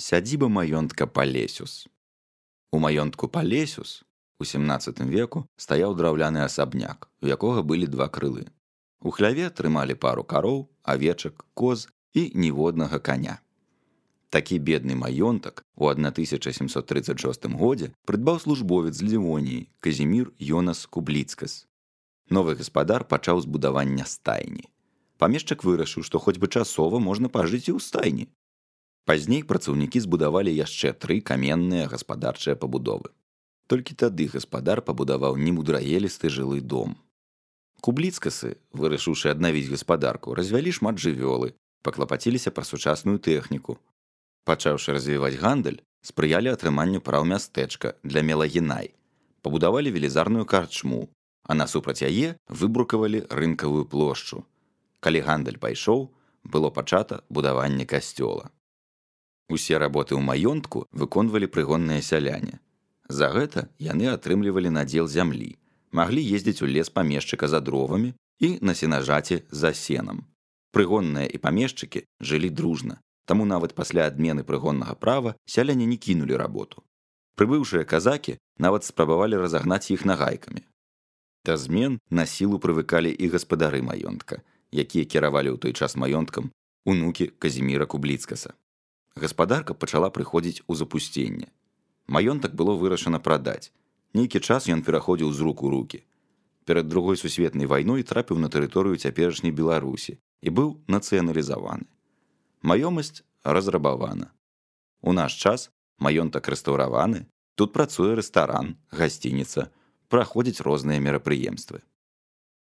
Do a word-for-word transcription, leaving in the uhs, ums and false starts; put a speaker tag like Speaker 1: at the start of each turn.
Speaker 1: Сядзіба маёнтка Палесюс. У маёнтку Палесюс у сямнаццатым веку стаяў драўляны асабняк, у якога былі два крылы. У хляве трымалі пару кароў, авечак, коз і ніводнага каня. Такі бедны маёнтак у тысяча сямсот трыццаць шостым годзе прыдбаў службовец з Лівоніі Казімір Йонас Кубліцкас. Новы гаспадар пачаў збудавання стайні. Памешчык вырашыў, што хоць бы часова можна пажыць і ў стайні. Пазней працаўнікі збудавалі яшчэ тры каменныя гаспадарчыя пабудовы. Толькі тады гаспадар пабудаваў немудраелісты жылы дом. Кубліцкасы, вырашыўшы аднавіць гаспадарку, развялі шмат жывёлы, паклапаціліся пра сучасную тэхніку. Пачаўшы развіваць гандаль, спрыялі атрыманню праў мястэчка для мелагенай, пабудавалі велізарную карчму, а насупраць яе выбрукавалі рынкавую плошчу. Калі гандаль пайшоў, было пачата будаванне касцёла. Усе работы ў маёнтку выконвалі прыгонныя сяляне. За гэта яны атрымлівалі надзел зямлі, маглі ездзіць у лес памешчыка за дровамі і на сенажаці за сенам. Прыгонныя і памешчыкі жылі дружна, таму нават пасля адмены прыгоннага права сяляне не кінулі работу. Прыбыўшыя казакі нават спрабавалі разагнаць іх нагайкамі. Да змен на сілу прывыкалі і гаспадары маёнтка, якія кіравалі ў той час маёнткам унукі Казіміра Кубліцкаса. Гаспадарка пачала прыходзіць у запусценне. Маёнтак было вырашана прадаць. Нейкі час ён пераходзіў з рук у рукі. Перад другой сусветнай вайной трапіў на тэрыторыю цяперашняй Беларусі і быў нацыяналізаваны. Маёмасць разрабавана. У наш час маёнтак рэстаўраваны, тут працуе рэстаран, гасцініца, праходзяць розныя мерапрыемствы.